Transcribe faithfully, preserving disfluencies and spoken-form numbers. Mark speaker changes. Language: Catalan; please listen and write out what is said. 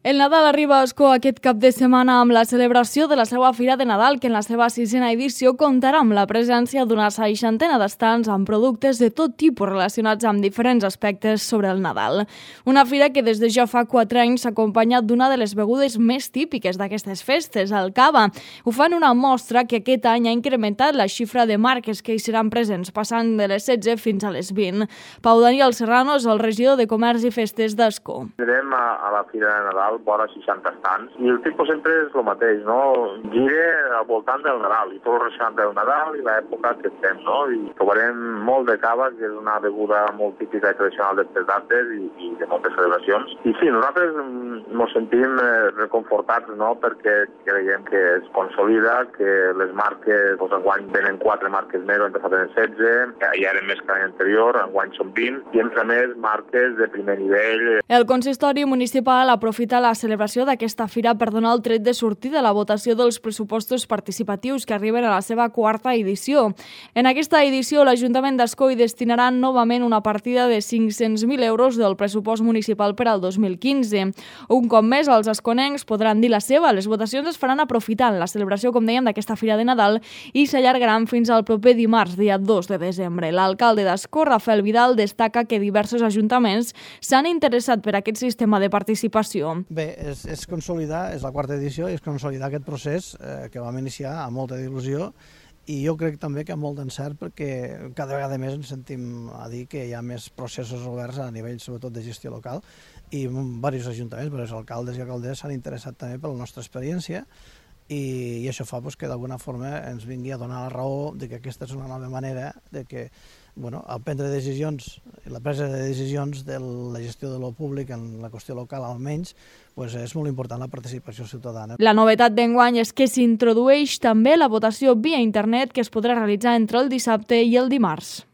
Speaker 1: El Nadal arriba a Ascó aquest cap de setmana amb la celebració de la seva Fira de Nadal, que en la seva sisena edició comptarà amb la presència d'una seixantena d'estants amb productes de tot tipus relacionats amb diferents aspectes sobre el Nadal. Una fira que des de ja fa quatre anys s'ha acompanyat d'una de les begudes més típiques d'aquestes festes, el cava. Ho fan una mostra que aquest any ha incrementat la xifra de marques que hi seran presents, passant de les setze fins a les vint. Pau Daniel Serrano és el regidor de Comerç i Festes d'Ascó.
Speaker 2: Anirem a, a la Fira de Nadal vora seixanta estants i el tipus sempre és el mateix, no? Gira al voltant del Nadal i tot relacionat del Nadal i l'època que estem, no? I trobarem molt de cava, que és una beguda molt típica i tradicional d'aquestes dates i, i de moltes celebracions. I sí, nosaltres ens sentim eh, reconfortats, no? Perquè creiem que es consolida, que les marques, doncs enguany venen quatre marques més, l'any passat eren setze, que ja eren més que l'any anterior, enguany són vint, i entre més marques de primer nivell.
Speaker 1: El consistori municipal aprofita la celebració d'aquesta fira per donar el tret de sortida a la votació dels pressupostos participatius que arriben a la seva quarta edició. En aquesta edició, l'Ajuntament d'Ascó hi destinarà novament una partida de cinc-cents mil euros del pressupost municipal per al dos mil quinze. Un cop més, els asconencs podran dir la seva. Les votacions es faran aprofitant la celebració, com dèiem, d'aquesta fira de Nadal i s'allargaran fins al proper dimarts, dia dos de desembre. L'alcalde d'Ascó, Rafael Vidal, destaca que diversos ajuntaments s'han interessat per aquest sistema de participació.
Speaker 3: Bé, és, és consolidar, és la quarta edició, i és consolidar aquest procés eh, que vam iniciar amb molta il·lusió i jo crec també que amb molt d'encert perquè cada vegada més ens sentim a dir que hi ha més processos oberts a nivell sobretot de gestió local i diversos ajuntaments, diversos alcaldes i alcaldesses s'han interessat també per la nostra experiència i, i això fa pues, que d'alguna forma ens vingui a donar la raó de que aquesta és una nova manera de que bueno, el prendre decisions, la presa de decisions de la gestió de lo públic en la qüestió local almenys, pues és molt important la participació ciutadana.
Speaker 1: La novetat d'enguany és que s'introdueix també la votació via internet que es podrà realitzar entre el dissabte i el dimarts.